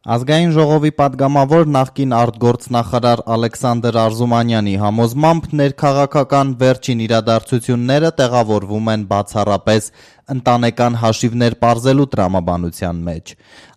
Ազգային ժողովի պատգամավոր նախկին արտգործնախարար Ալեքսանդր Արզումանյանի համոզմամբ ներքաղաքական վերջին իրադարձությունները տեղավորվում են բացառապես ընտանեկան հաշիվներ պարզելու տրամաբանության մեջ։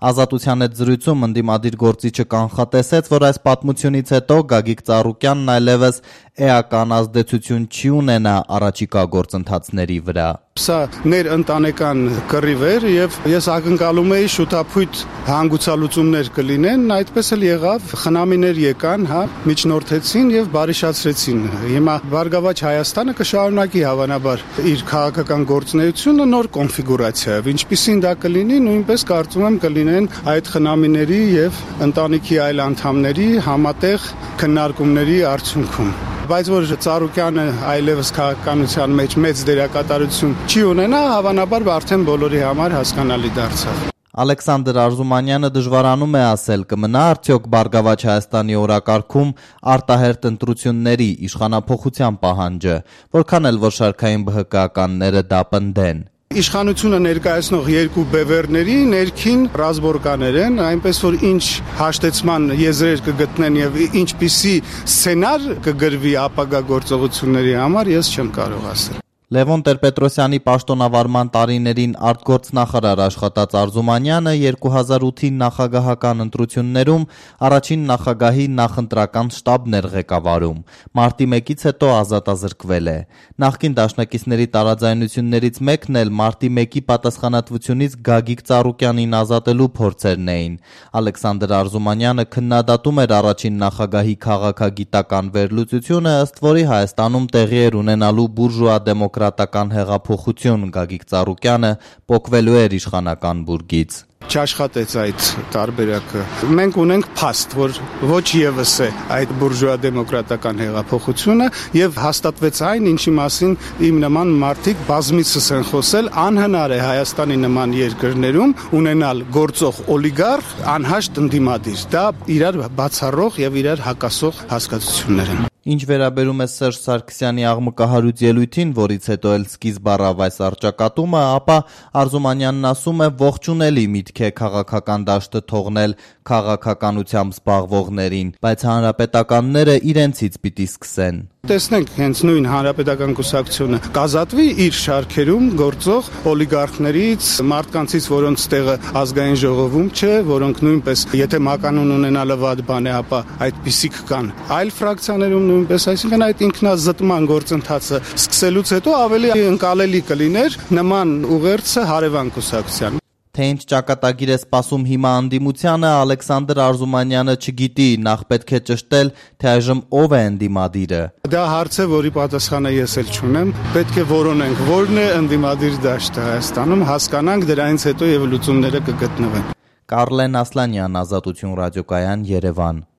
Ազատության հետ զրույցում ընդդիմադիր գործիչը կանխատեսեց, որ այս պատմությունից հետո Գագիկ Ծառուկյանն այլևս էական ազդեցություն չի ունենա առաջիկա գործընթացների վրա։ Սա ներընտանեկան կռիվ էր եւ ես ակնկալում էի շուտափույթ հանգուցալուծումներ կլինեն, այդպես էլ եղավ, խնամիներ եկան, միջնորդեցին եւ բարիշացրեցին։ Հիմա Բարգավաճ Հայաստանը կշարունակի հավանաբար իր քաղաքական գործունեությունը նոր կոնֆիգուրացիայով, ինչպիսին դա կլինի, նույնպես կարծում եմ կլինեն այդ խնամիների եւ ընտանիքի այլ անդամների համատեղ քննարկումների արդյունքում։ Բայց որ Ծառուկյանը այլևս քաղաքականության մեջ մեծ դերակատարություն չի ունենա, հավանաբար արդեն բոլորի համար հասկանալի դարձավ։ Ալեքսանդր Արզումանյանը դժվարանում է ասել, կմնա արդյոք Բարգավաճ Հայաստանի օրակարգում արտահերթ ընտրությունների իշխանափոխության պահանջը, որքան էլ որ շարքային ԲՀԿ-ականները դա պնդեն։ Իշխանությունը ներկայացնող երկու բևեռների ներքին ռազմորկաներ են, այնպես որ ինչ հաշտեցման եզրեր կգտնեն եւ ինչպիսի սցենար կգրվի ապագա գործողությունների համար, ես չեմ կարող ասել։ Լևոն Տեր-Պետրոսյանի պաշտոնավարման տարիներին արտգործնախարար աշխատած Արզումանյանը 2008-ի նախագահական ընտրություններում առաջին նախագահի նախընտրական շտաբն էր ղեկավարում։ Մարտի 1-ից հետո ազատազրկվել է։ Նախկին դաշնակիցների տարաձայնություններից մեկն էլ մարտի 1-ի պատասխանատվությունից Գագիկ Ծառուկյանին ազատելու փորձերն էին։ Ալեքսանդր Արզումանյանը քննադատում էր առաջին նախագահի քաղաքագիտական վերլուծությունը, ըստ որի Հայաստանում տեղի էր ունենալու բուրժուա դեմոկրատական հեղափոխություն, Գագիկ Ծառուկյանը պոկվելու էր իշխանական բուրգից։ Չաշխատեց այդ տարբերակը։ Մենք ունենք փաստ, որ ոչ եւս է այդ բուրժուա դեմոկրատական հեղափոխությունը եւ հաստատվեց այն, ինչի մասին իմ նման մարդիկ բազմիցս են խոսել, անհնար է Հայաստանի նման երկրներում ունենալ գործող օլիգարխ, անհաշտ ընդդիմադիր։ Դա իրար բացառող եւ իրար հակասող հասկացություններ են։ Ինչ վերաբերում է Սերժ Սարգսյանի աղմկահարույց ելույթին, որից հետո էլ սկիզբ առավ այս առճակատումը, ապա Արզումանյանն ասում է ողջունելի միտք է քաղաքական դաշտը թողնել քաղաքականությամբ զբաղվողներին, բայց հանրապետականները իրենցից պիտի սկսեն։ Տեսնենք, հենց նույն հանրապետական կուսակցությունը կազատվի իր շարքերում գործող օլիգարխներից, մարդկանցից, որոնց տեղը ազգային ժողովում չէ, որոնք նույնպես, եթե մականուն ունենալը վատ բան է, ապա այդպիսիք կան այլ ֆրակցիաներում նույնպես, այսինքն այդ ինքնազտման գործընթացը սկսելուց հետո ավելի ընկալելի կլիներ նման ուղերձը հարևան կուսակցության։ Թե ինչ ճակատագիր է սպասում հիմա ընդդիմությանը, Ալեքսանդր Արզումանյանը չգիտի, նախ պետք է ճշտել, թե այժմ ով է ընդդիմադիրը։ Դա հարց է, որի պատասխանը ես էլ չունեմ, պետք է որոնենք, որն է ընդդիմադիր դաշտը Հայաստանում, հասկանանք, դրանից հետո եւ լուծումները կգտնվեն։ Կարլեն Ասլանյան, Ազատություն ռադիոկայան, Երևան։